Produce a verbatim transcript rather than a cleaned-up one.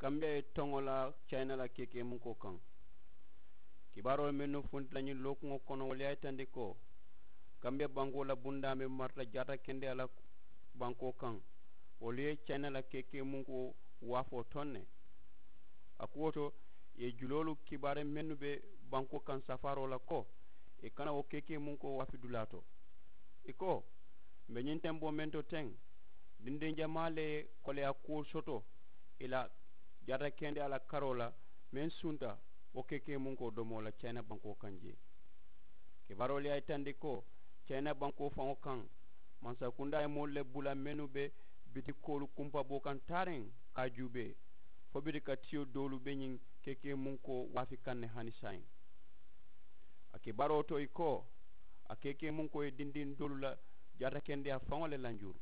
Kambiya ye toŋo la cayina la keekee munkoo kaŋ. Kibaaroo mennu funti la ñiŋ lookuŋo kono wolu ye a yitandi ko kambiya bankoo la bundaa meŋ marata jaata kendeyaa la bankoo kaŋ, wolu ye cayina la keekee munkoo waafoo toŋ ne. A kuwo to, ì ye juloolu kibaari mennu be bankoo kaŋ safaaroo la ko ì kana wo keekee munkoo waafi dulaa to. Ì ko, m̀ be ñiŋ tenboo meŋ to teŋ, dindiŋ jamaa le ye koleyaa kuwo soto ì la jaata kendeyaa la karoo la, meŋ sunta wo keekee munkoo domoo la cayina bankoo kaŋ jee. Kibaaroolu ye a yitandi ko cayina bankoo faŋo kaŋ, mansakundaa ye moolu le bula mennu be bitikoolu kumpaboo kaŋ taariŋ ka a juubee, fo biti ka tiyo doolu be ñiŋ keekee munkoo waafi kaŋ ne hani saayiŋ. A kibaaroo to ì ko, a keekee munkoo ye dindiŋ doolu la jaata kendeyaa faŋo le lanjuru.